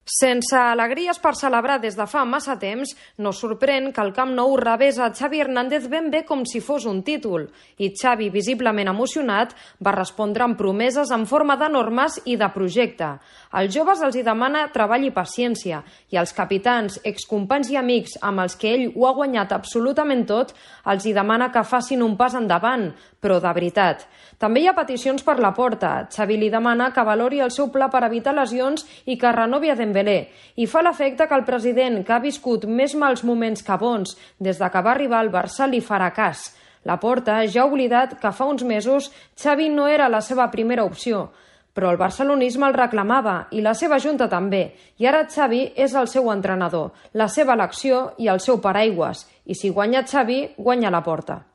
Sense alegries per celebrar des de fa massa temps, no sorprèn que el Camp Nou rebés a Xavi Hernández ben bé com si fos un títol. I Xavi, visiblement emocionat, va respondre amb promeses en forma de normes i de projecte. Als joves els hi demana treball i paciència, i als capitans, excompanys i amics amb els que ell ho ha guanyat absolutament tot, els hi demana que facin un pas endavant, però de veritat. També hi ha peticions per Laporta. Xavi li demana que valori el seu pla per evitar lesions i que renovi a Dembélé. I fa l'efecte que el president, que ha viscut més mals moments que bons des de que va arribar al Barça, li farà cas. Laporta ja ha oblidat que fa uns mesos Xavi no era la seva primera opció, però el barcelonisme el reclamava i la seva junta també. I ara Xavi és el seu entrenador, la seva elecció i el seu paraigües. I si guanya Xavi, guanya Laporta.